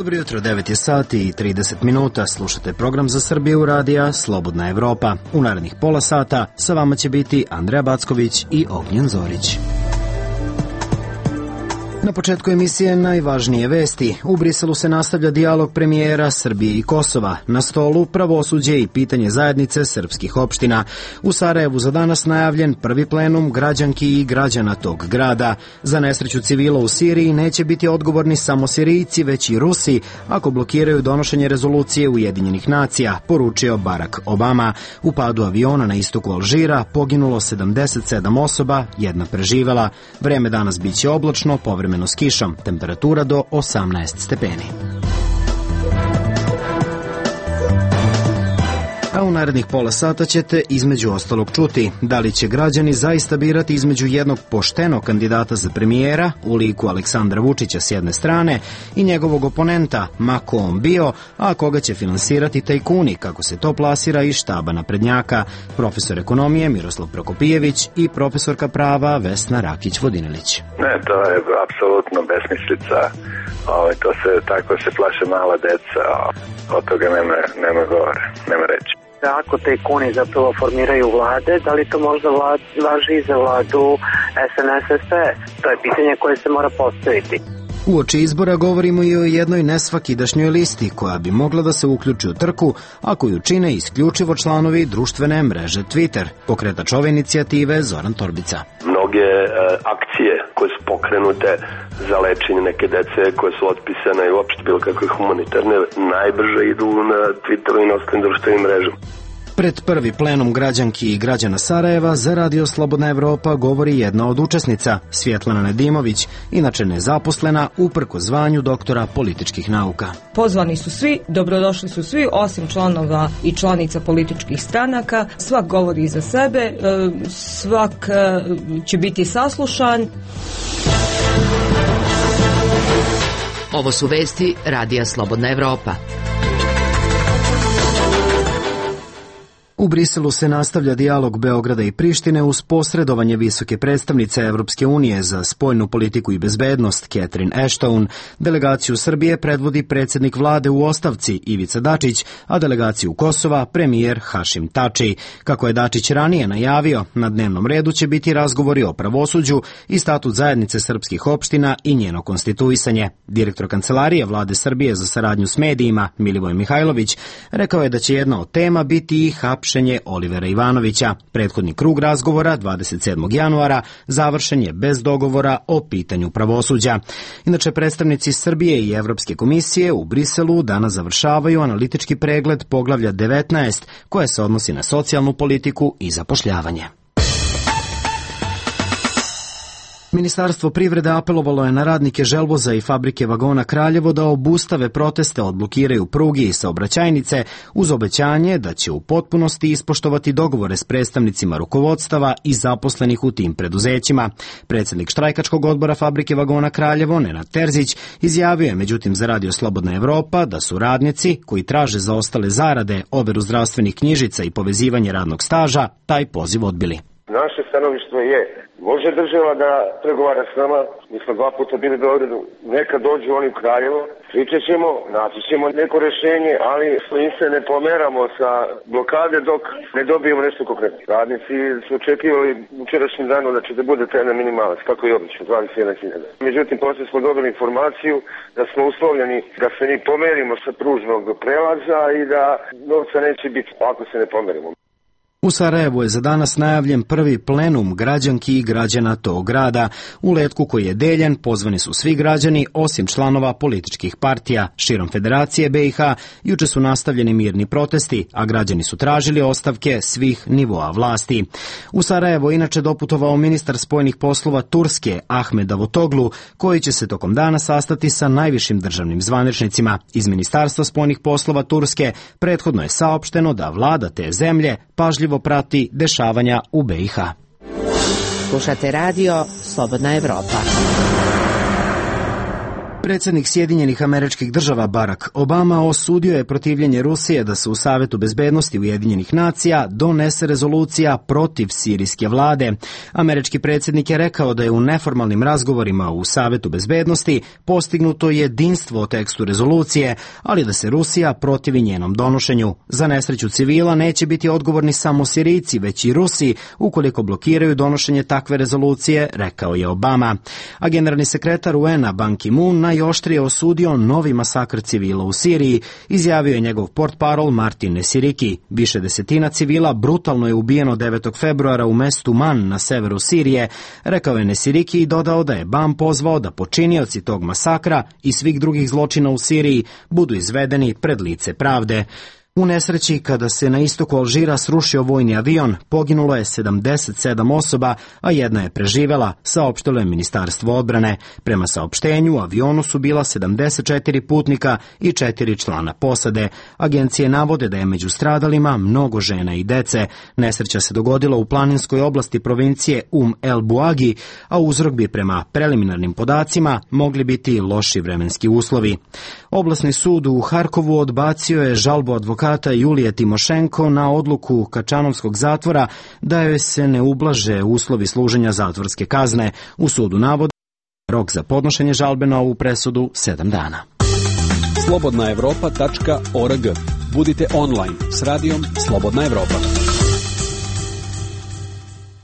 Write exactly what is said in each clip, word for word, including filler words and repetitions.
Dobro jutro, devet je sati i trideset minuta. Slušate program za Srbiju radija Slobodna Evropa. U narednih pola sata sa vama će biti Andreja Backović i Ognjen Zorić. Na početku emisije najvažnije vesti. U Briselu se nastavlja dijalog premijera Srbije i Kosova. Na stolu pravosuđe i pitanje zajednice srpskih opština. U Sarajevu za danas najavljen prvi plenum građanki i građana tog grada. Za nesreću civila u Siriji neće biti odgovorni samo Sirijci, već i Rusi, ako blokiraju donošenje rezolucije Ujedinjenih nacija, poručio Barack Obama. U padu aviona na istoku Alžira poginulo sedamdeset sedam osoba, jedna preživela. Vreme danas biće oblačno, povremeno s kišom, temperatura do osamnaest stepeni. A u narednih pola sata ćete između ostalog čuti da li će građani zaista birati između jednog poštenog kandidata za premijera u liku Aleksandra Vučića s jedne strane i njegovog oponenta, ma ko on bio, a koga će finansirati tajkuni, kako se to plasira iz štaba naprednjaka, profesor ekonomije Miroslav Prokopijević i profesorka prava Vesna Rakić-Vodinilić. Ne, to je apsolutno besmislica. O, to se, tako se plaše mala deca. Od toga nema, nema govore, nema reći. Ako tajkuni zapravo formiraju vlade, da li to možda vlad, važi i za vladu S N S S P? To je pitanje koje se mora postaviti. Uoči izbora govorimo i o jednoj nesvakidašnjoj listi koja bi mogla da se uključi u trku, a koju čine isključivo članovi društvene mreže Twitter. Pokretač ove inicijative Zoran Torbica. Mnoge e, akcije koje su pokrenute za lečenje neke dece koje su otpisane i uopšte bilo kakve humanitarne najbrže idu na Twitteru i na ostalim društvenim mrežama. Pred prvi plenum građanki i građana Sarajeva za Radio Slobodna Evropa govori jedna od učesnica, Svjetlana Nedimović, inače nezaposlena, uprkos zvanju doktora političkih nauka. Pozvani su svi, dobrodošli su svi, osim članova i članica političkih stranaka. Svak govori za sebe, svak će biti saslušan. Ovo su vesti Radija Slobodna Evropa. U Briselu se nastavlja dijalog Beograda i Prištine uz posredovanje visoke predstavnice Evropske unije za spoljnu politiku i bezbednost Catherine Ashton. Delegaciju Srbije predvodi predsjednik vlade u ostavci Ivica Dačić, a delegaciju Kosova premijer Hašim Tači. Kako je Dačić ranije najavio, na dnevnom redu će biti razgovori o pravosuđu i statut zajednice srpskih opština i njeno konstituisanje. Direktor Kancelarije vlade Srbije za saradnju s medijima Milivoj Mihajlović rekao je da će jedna od tema biti i hapšenje Olivera Ivanovića. Prethodni krug razgovora dvadeset sedmog januara završen je bez dogovora o pitanju pravosuđa. Inače, predstavnici Srbije i Evropske komisije u Briselu danas završavaju analitički pregled poglavlja devetnaest koje se odnosi na socijalnu politiku i zapošljavanje. Ministarstvo privrede apelovalo je na radnike Želvoza i fabrike vagona Kraljevo da obustave proteste, odblokiraju prugi i saobraćajnice uz obećanje da će u potpunosti ispoštovati dogovore s predstavnicima rukovodstava i zaposlenih u tim preduzećima. Predsjednik štrajkačkog odbora fabrike vagona Kraljevo, Nenad Terzić, izjavio je međutim za Radio Slobodna Evropa da su radnici koji traže za ostale zarade, overu zdravstvenih knjižica i povezivanje radnog staža taj poziv odbili. Naše stanovištvo je, može država da pregovara s nama, mi smo dva puta bili u Beogradu, neka dođu oni u Kraljevo, pričat ćemo, naći ćemo neko rješenje, ali mi se ne pomeramo sa blokade dok ne dobijemo nešto konkretno. Radnici su očekivali učerašnjim danom da će da bude taj minimalac, kako je obično, dvadeset jedna hiljada. Međutim, poslije smo dobili informaciju da smo uslovljeni da se mi pomerimo sa pružnog prelaza i da novca neće biti ako se ne pomerimo. U Sarajevu je za danas najavljen prvi plenum građanki i građana tog grada. U letku koji je deljen pozvani su svi građani osim članova političkih partija. Širom Federacije B i H juče su nastavljeni mirni protesti, a građani su tražili ostavke svih nivoa vlasti. U Sarajevo inače doputovao ministar spoljnih poslova Turske Ahmed Davutoglu, koji će se tokom dana sastati sa najvišim državnim zvaničnicima. Iz Ministarstva spoljnih poslova Turske prethodno je saopšteno da vlada te zemlje pažljivo prati dešavanja u B i H. Slušate radio Slobodna Evropa. Predsjednik Sjedinjenih Američkih Država Barack Obama osudio je protivljenje Rusije da se u Savetu bezbednosti Ujedinjenih nacija donese rezolucija protiv sirijske vlade. Američki predsjednik je rekao da je u neformalnim razgovorima u Savetu bezbednosti postignuto jedinstvo o tekstu rezolucije, ali da se Rusija protivi njenom donošenju. Za nesreću civila neće biti odgovorni samo Sirijci, već i Rusi, ukoliko blokiraju donošenje takve rezolucije, rekao je Obama. A generalni sekretar U N-a Ban Ki-moon najoštrije osudio novi masakr civila u Siriji, izjavio je njegov portparol Martin Nesiriki. Više desetina civila brutalno je ubijeno devetog februara u mestu Man na severu Sirije, rekao je Nesiriki i dodao da je Ban pozvao da počinioci tog masakra i svih drugih zločina u Siriji budu izvedeni pred lice pravde. U nesreći kada se na istoku Alžira srušio vojni avion, poginulo je sedamdeset sedam osoba, a jedna je preživela, saopštilo je Ministarstvo odbrane. Prema saopštenju, u avionu su bila sedamdeset četiri putnika i četiri člana posade. Agencije navode da je među stradalima mnogo žena i dece. Nesreća se dogodila u planinskoj oblasti provincije Um el Buagi, a uzrok bi prema preliminarnim podacima mogli biti loši vremenski uslovi. Oblasni sud u Harkovu odbacio je žalbu advokata Julije Timošenko na odluku Kačanovskog zatvora da joj se ne ublaže uslovi služenja zatvorske kazne. U sudu navode rok za podnošenje žalbe na ovu presudu sedam dana. slobodna evropa tačka org. Budite online s radijom Slobodna Evropa.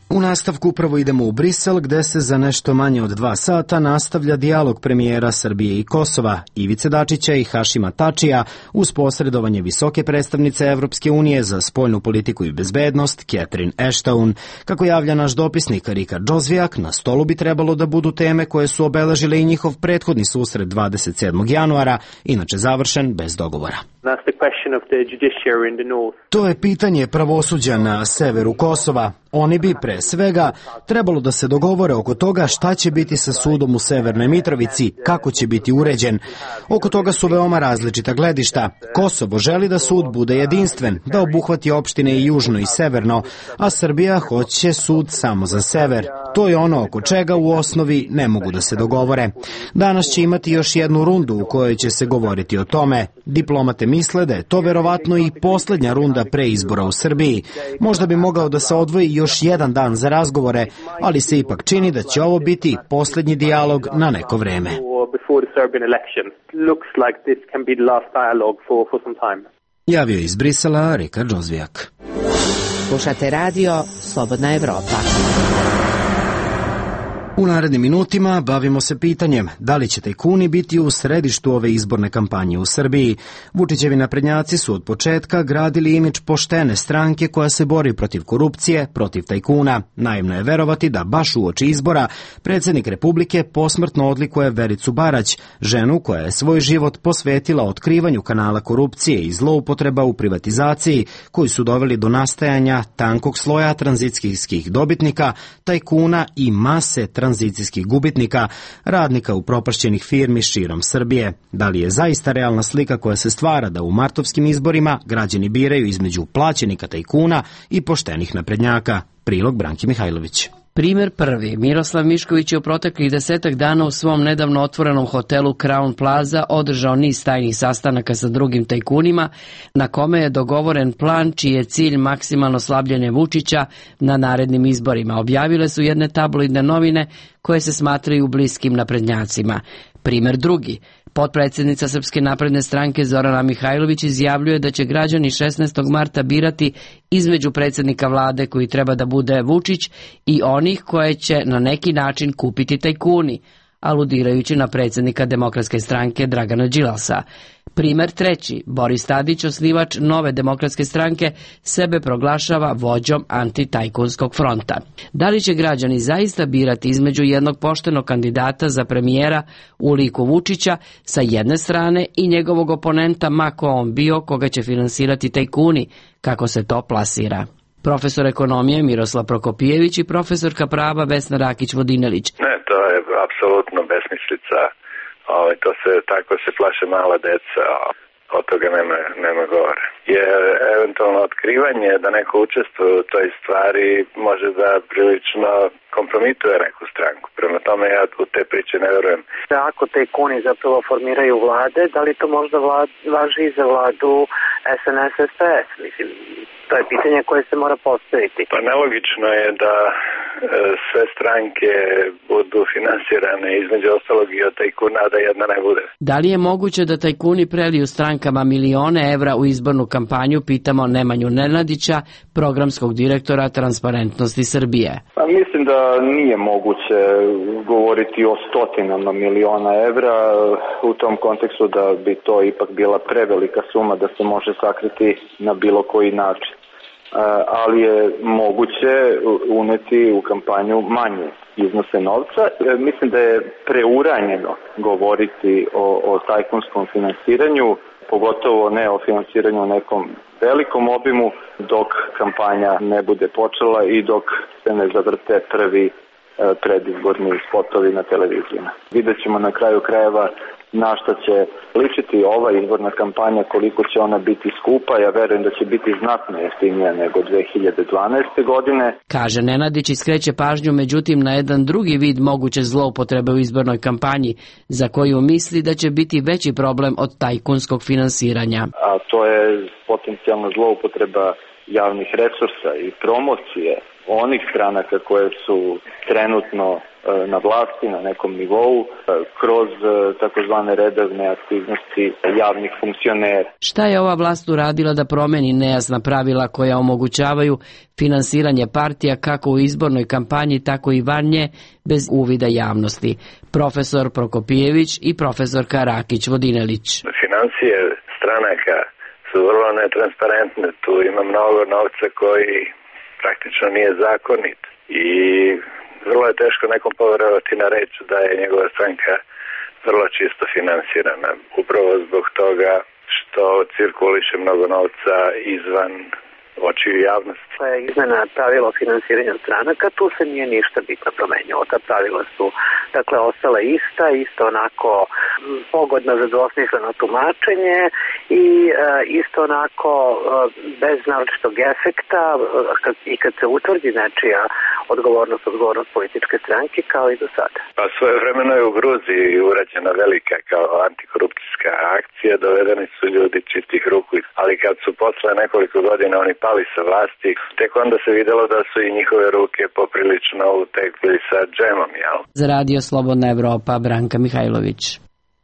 U nastavku upravo idemo u Brisel, gde se za nešto manje od dva sata nastavlja dijalog premijera Srbije i Kosova, Ivice Dačića i Hašima Tačija, uz posredovanje visoke predstavnice Evropske unije za spoljnu politiku i bezbednost, Catherine Ashton. Kako javlja naš dopisnik Rika Džozvijak, na stolu bi trebalo da budu teme koje su obeležile i njihov prethodni susret dvadeset sedmog januara, inače završen bez dogovora. To je pitanje pravosuđa na severu Kosova. Oni bi pre svega trebalo da se dogovore oko toga šta će biti sa sudom u Severnoj Mitrovici, kako će biti uređen. Oko toga su veoma različita gledišta. Kosovo želi da sud bude jedinstven, da obuhvati opštine i južno i severno, a Srbija hoće sud samo za sever. To je ono oko čega u osnovi ne mogu da se dogovore. Danas će imati još jednu rundu u kojoj će se govoriti o tome. Diplomate misle da je to verovatno i poslednja runda pre izbora u Srbiji. Možda bi mogao da se odvoji još jedan dan za razgovore, ali se ipak čini da će ovo biti poslednji dijalog na neko vreme. Javio iz Brisela Rika Džozvijak. Slušate radio Slobodna Evropa. U narednim minutima bavimo se pitanjem da li će tajkuni biti u središtu ove izborne kampanje u Srbiji. Vučićevi naprednjaci su od početka gradili imidž poštene stranke koja se bori protiv korupcije, protiv tajkuna. Naivno je verovati da baš uoči izbora predsjednik Republike posmrtno odlikuje Vericu Barać, ženu koja je svoj život posvetila otkrivanju kanala korupcije i zloupotreba u privatizaciji koji su doveli do nastajanja tankog sloja tranzicijskih dobitnika, tajkuna i mase tranzicijskih gubitnika, radnika upropašćenih firmi širom Srbije. Da li je zaista realna slika koja se stvara da u martovskim izborima građani biraju između plaćenika tajkuna i poštenih naprednjaka? Prilog Branki Mihajlović. Primer prvi. Miroslav Mišković je u proteklih desetak dana u svom nedavno otvorenom hotelu Crown Plaza održao niz tajnih sastanaka sa drugim tajkunima, na kome je dogovoren plan čiji je cilj maksimalno slabljenje Vučića na narednim izborima. Objavile su jedne tabloidne novine koje se smatraju bliskim naprednjacima. Primer drugi. Potpredsjednica Srpske napredne stranke Zorana Mihajlović izjavljuje da će građani šesnaestog marta birati između predsjednika vlade koji treba da bude Vučić i onih koje će na neki način kupiti tajkuni, aludirajući na predsjednika Demokratske stranke Dragana Đilasa. Primer treći. Boris Tadić, osnivač Nove demokratske stranke, sebe proglašava vođom antitajkunskog fronta. Da li će građani zaista birati između jednog poštenog kandidata za premijera u liku Vučića sa jedne strane i njegovog oponenta, ma ko on bio, koga će finansirati tajkuni, kako se to plasira? Profesor ekonomije Miroslav Prokopijević i profesorka prava Vesna Rakić-Vodinelić. Ne, to je apsolutno besmislica. O, to se, tako se plaše mala deca. od toga nema, nema govora. Jer eventualno otkrivanje da neko učestvuje u toj stvari može da prilično kompromituje neku stranku. Prema tome ja u te priče ne verujem. Ako tajkuni zapravo formiraju vlade, da li to možda vlad, važi i za vladu S N S S P S? Mislim, to je pitanje koje se mora postaviti. Pa nelogično je da e, sve stranke budu finansirane između ostalog i od tajkuna, da jedna ne bude. Da li je moguće da tajkuni preliju strankama milione evra u izbornu kampanju, pitamo Nemanju Nenadića, programskog direktora Transparentnosti Srbije. Pa mislim da nije moguće govoriti o stotinama miliona evra u tom kontekstu, da bi to ipak bila prevelika suma da se može sakriti na bilo koji način. Ali je moguće uneti u kampanju manje iznose novca. Mislim da je preuranjeno govoriti o, o tajkunskom finansiranju, pogotovo ne o finansiranju u nekom velikom obimu, dok kampanja ne bude počela i dok se ne zavrte prvi predizborni spotovi na televizijama. Vidjet ćemo na kraju krajeva na što će ličiti ova izborna kampanja, koliko će ona biti skupa. Ja verujem da će biti znatno jeftinija nego dve hiljade dvanaeste. godine. Kaže Nenadić i skreće pažnju međutim na jedan drugi vid moguće zloupotrebe u izbornoj kampanji, za koju misli da će biti veći problem od tajkunskog finansiranja. A to je potencijalna zloupotreba javnih resursa i promocije onih stranaka koje su trenutno na vlasti na nekom nivou kroz takozvane redovne aktivnosti javnih funkcionera. Šta je ova vlast uradila da promeni nejasna pravila koja omogućavaju finansiranje partija kako u izbornoj kampanji, tako i van nje, bez uvida javnosti? Profesor Prokopijević i profesorka Rakić-Vodinelić. Financije stranaka su vrlo netransparentne. Tu ima mnogo novca koji praktično nije zakonit i vrlo je teško nekom poverovati na reč da je njegova stranka vrlo čisto finansirana. Upravo zbog toga što cirkuliše mnogo novca izvan očiju javnosti. To je izmena pravila o finansiranju stranaka, tu se nije ništa bitno promenilo. Ta pravila su dakle ostala ista, isto onako pogodna za dvosmisleno tumačenje i e, isto onako e, bez naročitog efekta kad, i kad se utvrdi nečija odgovornost, odgovornost političke stranke kao i do sada. Pa svoje vremeno je u Gruziji urađena velika kao antikorupcijska akcija, dovedeni su ljudi čistih ruku, ali kad su posle nekoliko godina oni pali sa vlasti, tek onda se videlo da su i njihove ruke poprilično utekli sa džemom, jel? Za Radio Slobodna Evropa, Branka Mihajlović.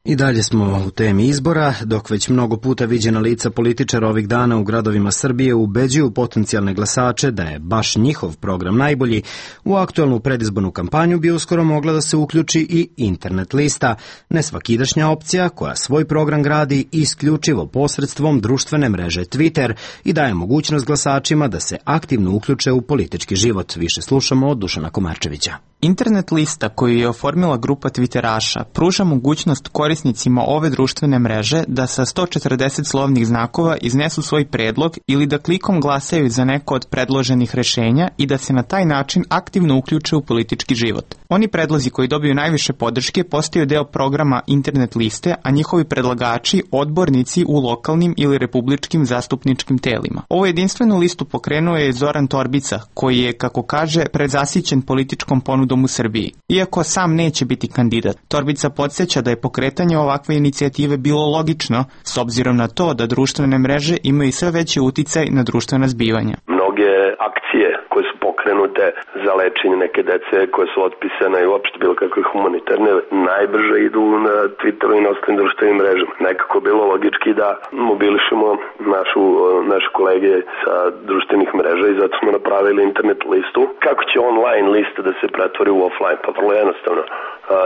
I dalje smo u temi izbora, dok već mnogo puta viđena lica političara ovih dana u gradovima Srbije ubeđuju potencijalne glasače da je baš njihov program najbolji, u aktuelnu predizbornu kampanju bi uskoro mogla da se uključi i internet lista, nesvakidašnja opcija koja svoj program gradi isključivo posredstvom društvene mreže Twitter i daje mogućnost glasačima da se aktivno uključe u politički život. Više slušamo od Dušana Komarčevića. Internet lista koju je oformila grupa Twitteraša pruža mogućnost korisnicima ove društvene mreže da sa sto četrdeset slovnih znakova iznesu svoj predlog ili da klikom glasaju za neko od predloženih rešenja i da se na taj način aktivno uključe u politički život. Oni predlozi koji dobiju najviše podrške postaju deo programa internet liste, a njihovi predlagači odbornici u lokalnim ili republičkim zastupničkim telima. Ovu jedinstvenu listu pokrenuo je Zoran Torbica, koji je, kako kaže, prezasićen političkom ponudom u Srbiji. Iako sam neće biti kandidat, Torbica podsjeća da je pokretanje ovakve inicijative bilo logično, s obzirom na to da društvene mreže imaju sve veći uticaj na društvena zbivanja. Mnoge akcije koje su pokrenute za lečenje neke dece koje su otpisane i uopšte bilo kakve humanitarne najbrže idu na Twitteru i na ostalim društvenim mrežama. Nekako bilo logički da mobilišemo našu, naše kolege sa društvenih mreža i zato smo napravili internet listu. Kako će online lista da se pretvori u offline? Pa vrlo jednostavno.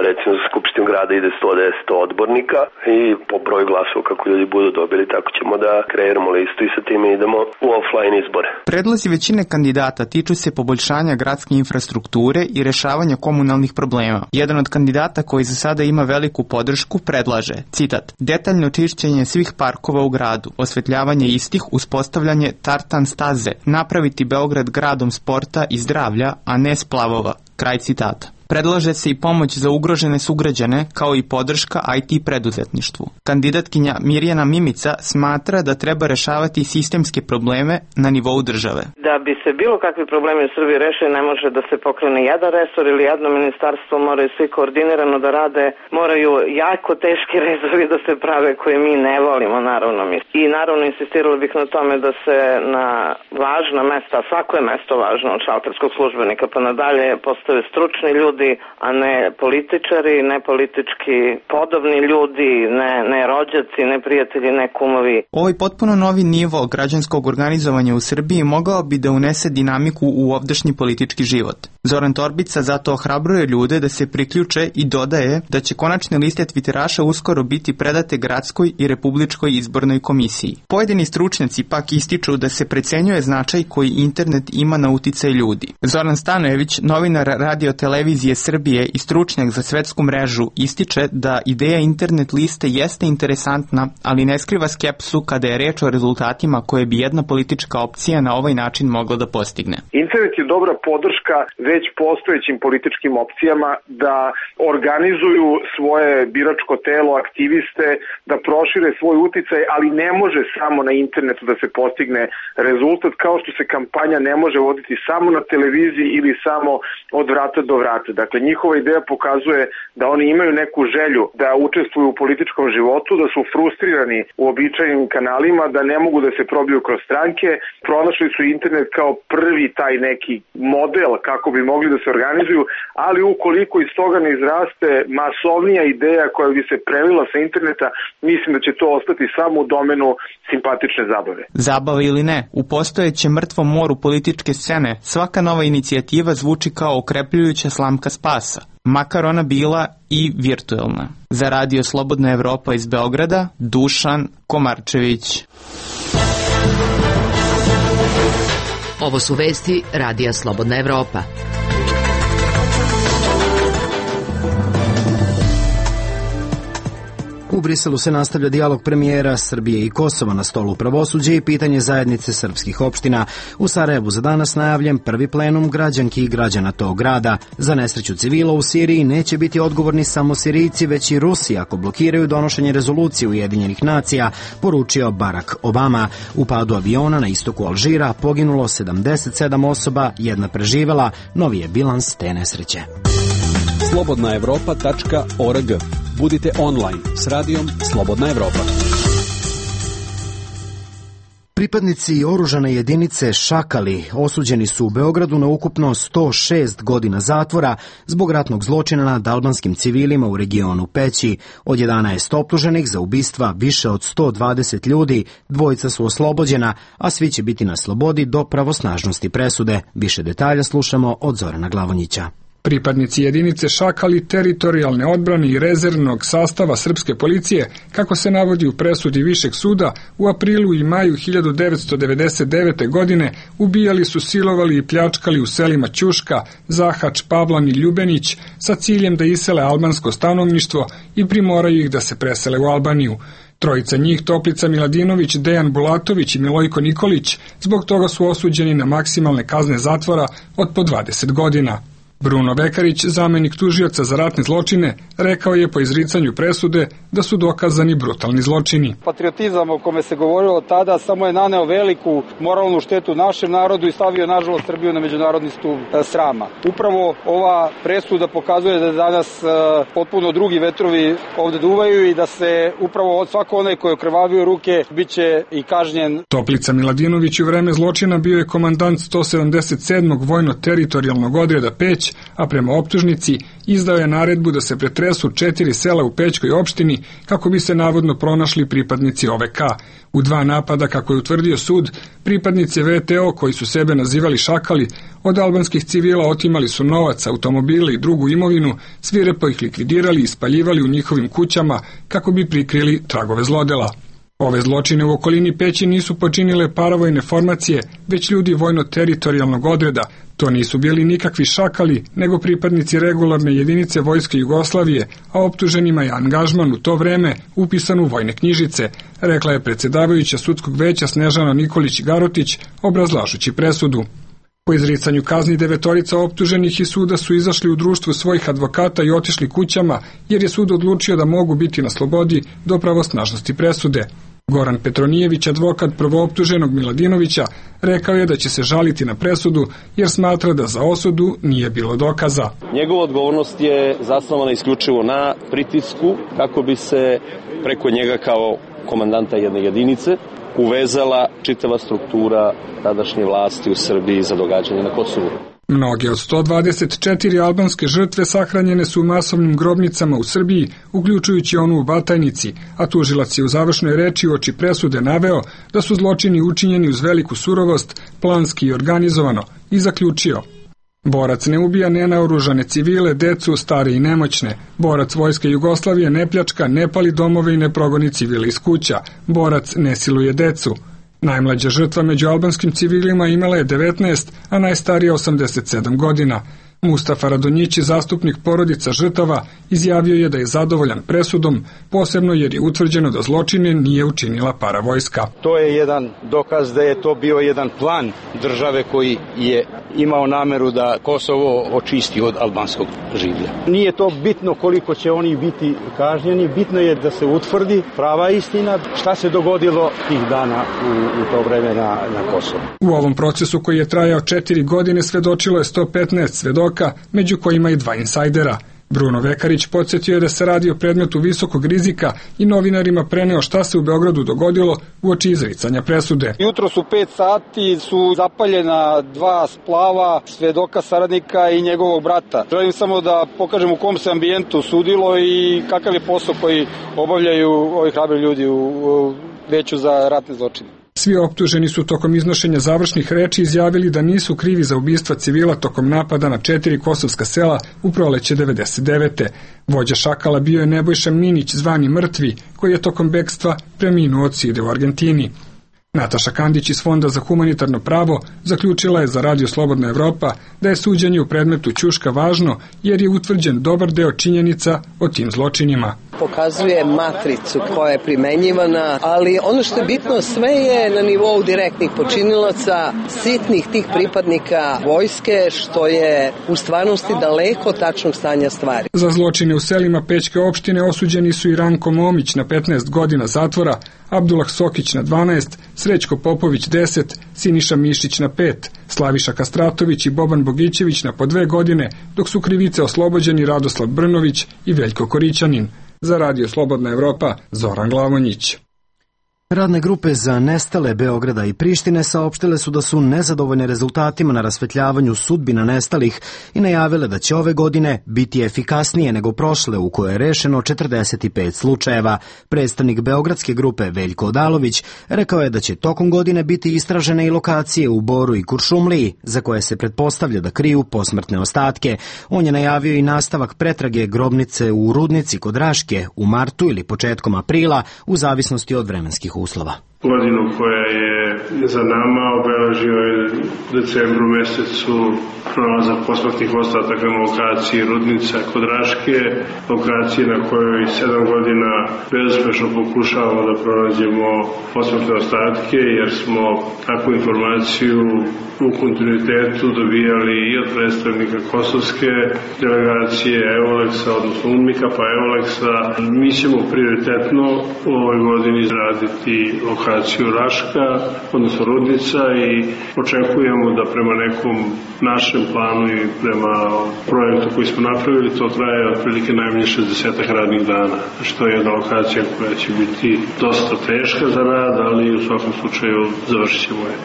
Recimo za Skupštinu grada ide sto deset odbornika i po broju glasova kako ljudi budu dobili, tako ćemo da kreiramo listu i sa time idemo u offline izbore. Predlozi većine kandidata tiču se poboljšanja gradske infrastrukture i rešavanja komunalnih problema. Jedan od kandidata koji za sada ima veliku podršku predlaže, citat, detaljno čišćenje svih parkova u gradu, osvetljavanje istih, uspostavljanje tartan staze, napraviti Beograd gradom sporta i zdravlja, a ne splavova. Kraj citata. Predlaže se i pomoć za ugrožene sugrađane, kao i podrška I T preduzetništvu. Kandidatkinja Mirjana Mimica smatra da treba rešavati sistemske probleme na nivou države. Da bi se bilo kakvi problemi u Srbiji rešili, ne može da se pokrene jedan resor ili jedno ministarstvo, moraju svi koordinirano da rade, moraju jako teški rezovi da se prave koje mi ne volimo, naravno mi. I naravno insistirala bih na tome da se na važna mesta, svako je mesto važno od šalterskog službenika pa nadalje, postave stručni ljudi, a ne političari, ne politički podobni ljudi, ne, ne rođaci, ne prijatelji, ne kumovi. Ovaj potpuno novi nivo građanskog organizovanja u Srbiji mogao bi da unese dinamiku u ovdašnji politički život. Zoran Torbica zato ohrabruje ljude da se priključe i dodaje da će konačne liste tviteraša uskoro biti predate gradskoj i republičkoj izbornoj komisiji. Pojedini stručnjaci pak ističu da se precenjuje značaj koji internet ima na uticaj ljudi. Zoran Stanojević, novinar Radio Televizije Srbije i stručnjak za svetsku mrežu, ističe da ideja internet liste jeste interesantna, ali ne skriva skepsu kada je reč o rezultatima koje bi jedna politička opcija na ovaj način mogla da postigne. Internet je dobra podrška već postojećim političkim opcijama da organizuju svoje biračko telo, aktiviste, da prošire svoj uticaj, ali ne može samo na internetu da se postigne rezultat, kao što se kampanja ne može voditi samo na televiziji ili samo od vrata do vrata. Dakle, njihova ideja pokazuje da oni imaju neku želju da učestvuju u političkom životu, da su frustrirani u običajnim kanalima, da ne mogu da se probiju kroz stranke. Pronašli su internet kao prvi taj neki model kako bi mogli da se organizuju, ali ukoliko iz toga ne izraste masovnija ideja koja bi se prelila sa interneta, mislim da će to ostati samo u domenu simpatične zabave. Zabava ili ne, u postojećem mrtvom moru političke scene svaka nova inicijativa zvuči kao okrepljujuća slamka spasa, makar ona bila i virtuelna. Za Radio Slobodna Evropa iz Beograda, Dušan Komarčević. Ovo su vesti Radija Slobodna Evropa. U Briselu se nastavlja dijalog premijera Srbije i Kosova na stolu pravosuđa i pitanje zajednice srpskih opština. U Sarajevu za danas najavljen prvi plenum građanki i građana tog grada. Za nesreću civila u Siriji neće biti odgovorni samo Sirijci, već i Rusi ako blokiraju donošenje rezolucije Ujedinjenih nacija, poručio Barack Obama. U padu aviona na istoku Alžira poginulo sedamdeset sedam osoba, jedna preživela, novi je bilans te nesreće. slobodna evropa tačka org. Budite online s radijom Slobodna Evropa. Pripadnici oružane jedinice Šakali osuđeni su u Beogradu na ukupno sto šest godina zatvora zbog ratnog zločina nad albanskim civilima u regionu Peći. Od jedanaest optuženih za ubistva više od sto dvadeset ljudi, dvojica su oslobođena, a svi će biti na slobodi do pravosnažnosti presude. Više detalja slušamo od Zorana Glavonjića. Pripadnici jedinice Šakali, teritorijalne odbrane i rezervnog sastava srpske policije, kako se navodi u presudi Višeg suda, u aprilu i maju hiljadu devetsto devedeset devete. godine ubijali su, silovali i pljačkali u selima Ćuška, Zahač, Pavlan i Ljubenić sa ciljem da isele albansko stanovništvo i primoraju ih da se presele u Albaniju. Trojica njih, Toplica Miladinović, Dejan Bulatović i Milojko Nikolić, zbog toga su osuđeni na maksimalne kazne zatvora od po dvadeset godina. Bruno Vekarić, zamenik tužioca za ratne zločine, rekao je po izricanju presude da su dokazani brutalni zločini. Patriotizam o kome se govorilo tada samo je naneo veliku moralnu štetu našem narodu i stavio nažalost Srbiju na međunarodni stup srama. Upravo ova presuda pokazuje da danas potpuno drugi vetrovi ovde duvaju i da se upravo od svako onaj koji je okrvavio ruke biće i kažnjen. Toplica Miladinović u vreme zločina bio je komandant sto sedamdeset sedmog vojno-teritorijalnog odreda Peć, a prema optužnici izdao je naredbu da se pretresu četiri sela u Pećkoj opštini kako bi se navodno pronašli pripadnici O V K. U dva napada, kako je utvrdio sud, pripadnici V T O koji su sebe nazivali Šakali, od albanskih civila otimali su novac, automobile i drugu imovinu, svirepo ih likvidirali i spaljivali u njihovim kućama kako bi prikrili tragove zlodela. Ove zločine u okolini Peći nisu počinile paravojne formacije, već ljudi vojno-teritorijalnog odreda. To nisu bili nikakvi Šakali, nego pripadnici regularne jedinice Vojske Jugoslavije, a optuženima je angažman u to vreme upisan u vojne knjižice, rekla je predsedavajuća sudskog veća Snežana Nikolić-Garotić, obrazlažući presudu. Po izricanju kazni devetorica optuženih iz suda su izašli u društvu svojih advokata i otišli kućama, jer je sud odlučio da mogu biti na slobodi do pravosnažnosti presude. Goran Petronijević, advokat prvooptuženog Miladinovića, rekao je da će se žaliti na presudu jer smatra da za osudu nije bilo dokaza. Njegova odgovornost je zasnovana isključivo na pritisku kako bi se preko njega kao komandanta jedne jedinice uvezala čitava struktura tadašnje vlasti u Srbiji za događanje na Kosovu. Mnoge od sto dvadeset četiri albanske žrtve sahranjene su u masovnim grobnicama u Srbiji, uključujući onu u Batajnici, a tužilac je u završnoj reči uoči presude naveo da su zločini učinjeni uz veliku surovost, planski i organizovano, i zaključio: borac ne ubija nenaoružane civile, decu, stare i nemoćne. Borac Vojske Jugoslavije ne pljačka, ne pali domove i ne progoni civile iz kuća. Borac ne siluje decu. Najmlađa žrtva među albanskim civilima imala je devetnaest, a najstarija osamdeset sedam godina. Mustafa Radonjići, zastupnik porodica žrtava, izjavio je da je zadovoljan presudom, posebno jer je utvrđeno da zločine nije učinila paravojska. To je jedan dokaz da je to bio jedan plan države koji je imao nameru da Kosovo očisti od albanskog življa. Nije to bitno koliko će oni biti kažnjeni, bitno je da se utvrdi prava istina šta se dogodilo tih dana u, u to vreme na, na Kosovu. U ovom procesu koji je trajao četiri godine svedočilo je sto petnaest svedoka, među kojima i dva insajdera. Bruno Vekarić podsjetio je da se radi o predmetu visokog rizika i novinarima preneo šta se u Beogradu dogodilo uoči izricanja presude. Jutro su pet sati su zapaljena dva splava svedoka saradnika i njegovog brata. Želim samo da pokažem u kom se ambijentu sudilo i kakav je posao koji obavljaju ovi hrabri ljudi u Veću za ratne zločine. Svi optuženi su tokom iznošenja završnih reči izjavili da nisu krivi za ubistva civila tokom napada na četiri kosovska sela u proleće devedeset devete. Vođa šakala bio je Nebojša Minić, zvani Mrtvi, koji je tokom bekstva preminuo od side u Argentini. Nataša Kandić iz Fonda za humanitarno pravo zaključila je za Radio Slobodna Evropa da je suđenje u predmetu Ćuška važno jer je utvrđen dobar deo činjenica o tim zločinima. Pokazuje matricu koja je primenjivana, ali ono što je bitno, sve je na nivou direktnih počinilaca, sitnih tih pripadnika vojske, što je u stvarnosti daleko od tačnog stanja stvari. Za zločine u selima Pećke opštine osuđeni su i Ranko Momić na petnaest godina zatvora, Abdullah Sokić na dvanaest, Srećko Popović deset, Siniša Mišić na pet, Slaviša Kastratović i Boban Bogićević na po dve godine, dok su krivice oslobođeni Radoslav Brnović i Veljko Korićanin. Za Radio Slobodna Evropa, Zoran Glavonjić. Radne grupe za nestale Beograda i Prištine saopštile su da su nezadovoljne rezultatima na rasvetljavanju sudbina nestalih i najavile da će ove godine biti efikasnije nego prošle u koje je rešeno četrdeset pet slučajeva. Predstavnik beogradske grupe Veljko Odalović rekao je da će tokom godine biti istražene i lokacije u Boru i Kuršumliji za koje se pretpostavlja da kriju posmrtne ostatke. On je najavio i nastavak pretrage grobnice u Rudnici kod Raške u martu ili početkom aprila u zavisnosti od vremenskih uslova. Godinu koja je za nama obeležio je u decembru mesecu pronalazak posmrtnih ostataka na lokaciji Rudnica kod Raške, lokaciji na kojoj sedam godina bezuspešno pokušavamo da pronađemo posmrtne ostatke, jer smo takvu informaciju u kontinuitetu dobijali i od predstavnika kosovske delegacije Euleksa, odnosno UNMIK-a pa Euleksa. Mi ćemo prioritetno u ovoj godini izraditi lokaciju Raška, odnosno Rudnica, i očekujemo da prema nekom našem planu i prema projektu koji smo napravili to traje otprilike najmanje šezdeset radnih dana, što je jedna lokacija koja će biti dosta teška za rad, ali u svakom slučaju završit ćemo je.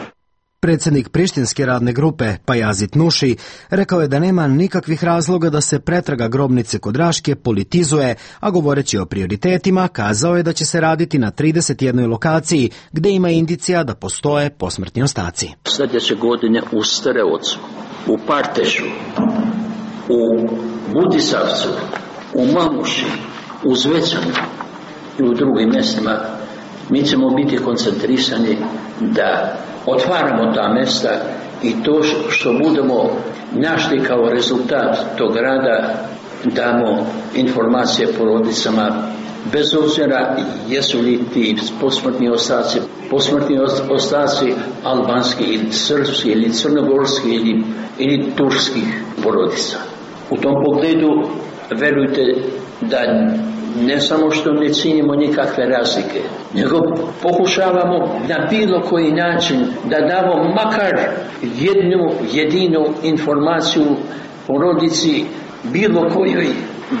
Predsednik prištinske radne grupe Pajazit Nuši rekao je da nema nikakvih razloga da se pretraga grobnice kod Raške politizuje, a govoreći o prioritetima kazao je da će se raditi na trideset jednoj lokaciji gde ima indicija da postoje posmrtni ostaci. Sljedeće godine u Starevcu, u Partešu, u Budisavcu, u Mamuši, u Zvečanu i u drugim mjestima mi ćemo biti koncentrisani da otvaramo ta mesta i to što budemo našli kao rezultat tog rada damo informacije porodicama bez obzira jesu li ti posmrtni ostaci, posmrtni ostaci albanski ili srpski ili crnogorski ili, ili turskih porodica. U tom pogledu verujte da ne samo što ne cijenimo nikakve razlike, nego pokušavamo na bilo koji način da damo makar jednu jedinu informaciju porodici bilo kojoj,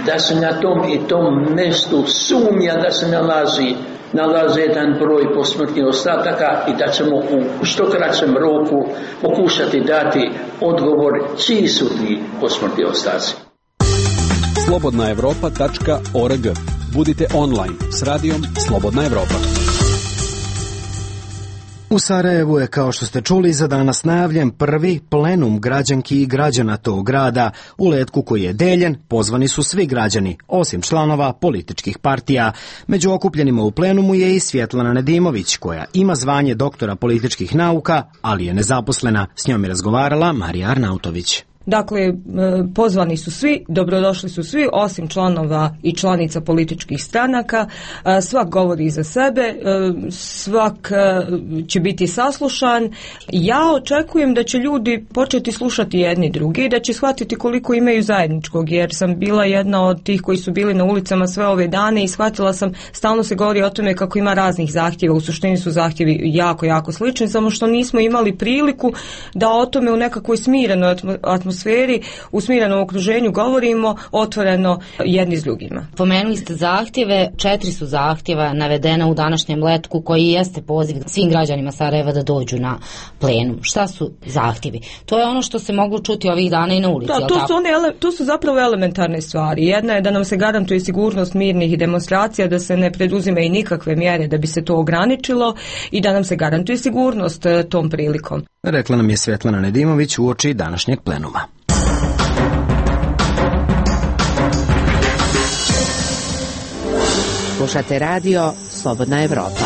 da se na tom i tom mjestu sumnja da se nalazi nalazi jedan broj posmrtnih ostataka i da ćemo u što kraćem roku pokušati dati odgovor čiji su ti posmrtni ostaci. slobodna evropa tačka org. Budite online s radijom Slobodna Evropa. U Sarajevu je, kao što ste čuli, za danas najavljen prvi plenum građanki i građana tog grada. U letku koji je deljen pozvani su svi građani, osim članova političkih partija. Među okupljenima u plenumu je i Svjetlana Nedimović, koja ima zvanje doktora političkih nauka, ali je nezaposlena. S njom je razgovarala Marija Arnautović. Dakle, pozvani su svi, dobrodošli su svi, osim članova i članica političkih stranaka. Svak govori za sebe, svak će biti saslušan. Ja očekujem da će ljudi početi slušati jedni drugi i da će shvatiti koliko imaju zajedničkog, jer sam bila jedna od tih koji su bili na ulicama sve ove dane i shvatila sam, stalno se govori o tome kako ima raznih zahtjeva, u suštini su zahtjevi jako, jako slični, samo što nismo imali priliku da o tome u nekakvoj smirenoj atmosferi sferi, u smirenom okruženju govorimo otvoreno jedni s drugima. Pomenuli ste zahtjeve, četiri su zahtjeva navedena u današnjem letku koji jeste poziv svim građanima Sarajeva da dođu na plenum. Šta su zahtjevi? To je ono što se moglo čuti ovih dana i na ulici. Da, to su, one, to su zapravo elementarne stvari. Jedna je da nam se garantuje sigurnost mirnih demonstracija, da se ne preduzime i nikakve mjere da bi se to ograničilo i da nam se garantuje sigurnost tom prilikom. Rekla nam je Svjetlana Nedimović uoči današnjeg plenuma. Slušate radio Slobodna Evropa.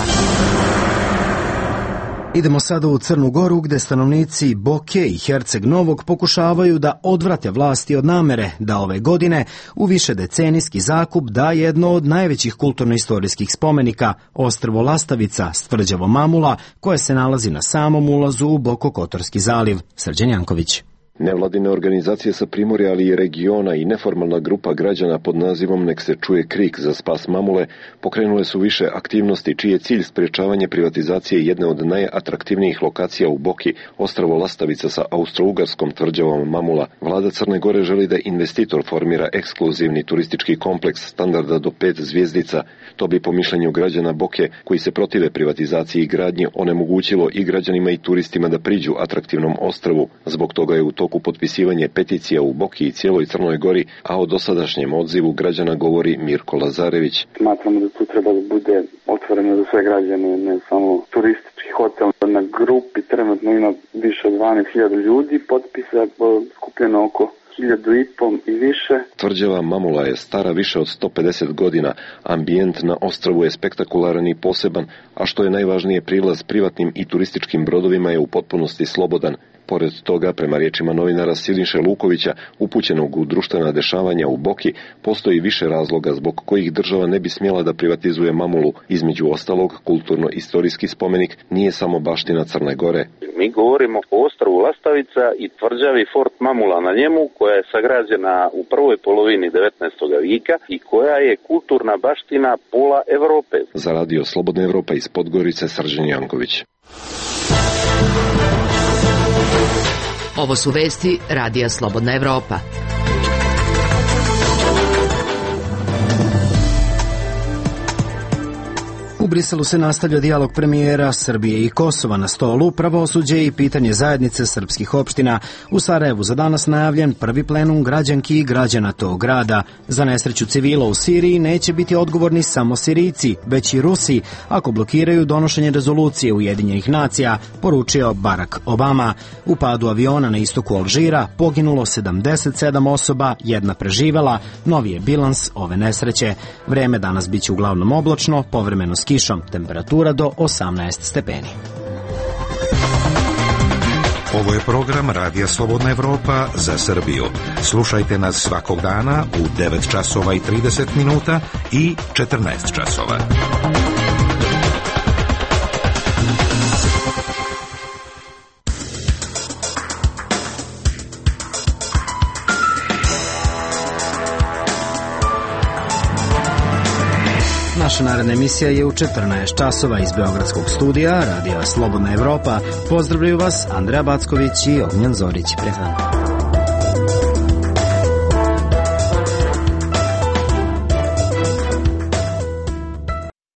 Idemo sada u Crnu Goru, gde stanovnici Boke i Herceg Novog pokušavaju da odvrate vlasti od namere da ove godine u višedecenijski zakup da jedno od najvećih kulturno-istorijskih spomenika, ostrvo Lastavica s tvrđavom Mamula, koje se nalazi na samom ulazu u Bokokotorski zaliv. Srđan Janković. Nevladine organizacije sa Primorja, ali i regiona i neformalna grupa građana pod nazivom Nek se čuje krik za spas Mamule pokrenule su više aktivnosti čiji je cilj sprječavanje privatizacije jedne od najatraktivnijih lokacija u Boki, ostrvo Lastavica sa austrougarskom tvrđavom Mamula. Vlada Crne Gore želi da investitor formira ekskluzivni turistički kompleks standarda do pet zvjezdica. To bi po mišljenju građana Boke, koji se protive privatizaciji i gradnji, onemogućilo i građanima i turistima da priđu atraktivnom ostrvu. Zbog toga je u toku potpisivanje peticija u Boki i cijeloj Crnoj Gori, a o dosadašnjem odzivu građana govori Mirko Lazarević. Smatramo da tu treba da bude otvoreno za sve građane, ne samo turistički hotel. Na grupi trenutno ima više od dvanaest hiljada ljudi, potpisa skupljeno oko hiljadu i pol i više. Tvrđava Mamula je stara više od sto pedeset godina, ambijent na ostrvu je spektakularan i poseban, a što je najvažnije, prilaz privatnim i turističkim brodovima je u potpunosti slobodan. Pored toga, prema riječima novinara Siniše Lukovića, upućenog u društvena dešavanja u Boki, postoji više razloga zbog kojih država ne bi smjela da privatizuje Mamulu. Između ostalog, kulturno-istorijski spomenik nije samo baština Crne Gore. Mi govorimo o ostrvu Lastavica i tvrđavi Fort Mamula na njemu, koja je sagrađena u prvoj polovini devetnaestog vijeka i koja je kulturna baština pola Evrope. Za radio Slobodna Evropa iz Podgorice, Srđan Janković. Ovo su vesti radija Slobodna Evropa. U Briselu se nastavlja dijalog premijera Srbije i Kosova. Na stolu pravosuđe i pitanje zajednice srpskih opština. U Sarajevu za danas najavljen prvi plenum građanki i građana tog grada. Za nesreću civila u Siriji neće biti odgovorni samo Sirijci, već i Rusi, ako blokiraju donošenje rezolucije Ujedinjenih nacija, poručio Barack Obama. U padu aviona na istoku Alžira poginulo sedamdeset sedam osoba, jedna preživela. Novi je bilans ove nesreće. Vreme danas biće uglavnom oblačno, povremeno s kišom, temperatura do osamnaest stepeni. Ovo je program Radija Slobodna Evropa za Srbiju. Slušajte nas svakog dana u devet časova i trideset minuta i četrnaest časova. Naša naredna emisija je u četrnaest časova iz Beogradskog studija Radija Slobodna Evropa. Pozdravljaju vas Andreja Backović i Ognjen Zorić. Prijatno.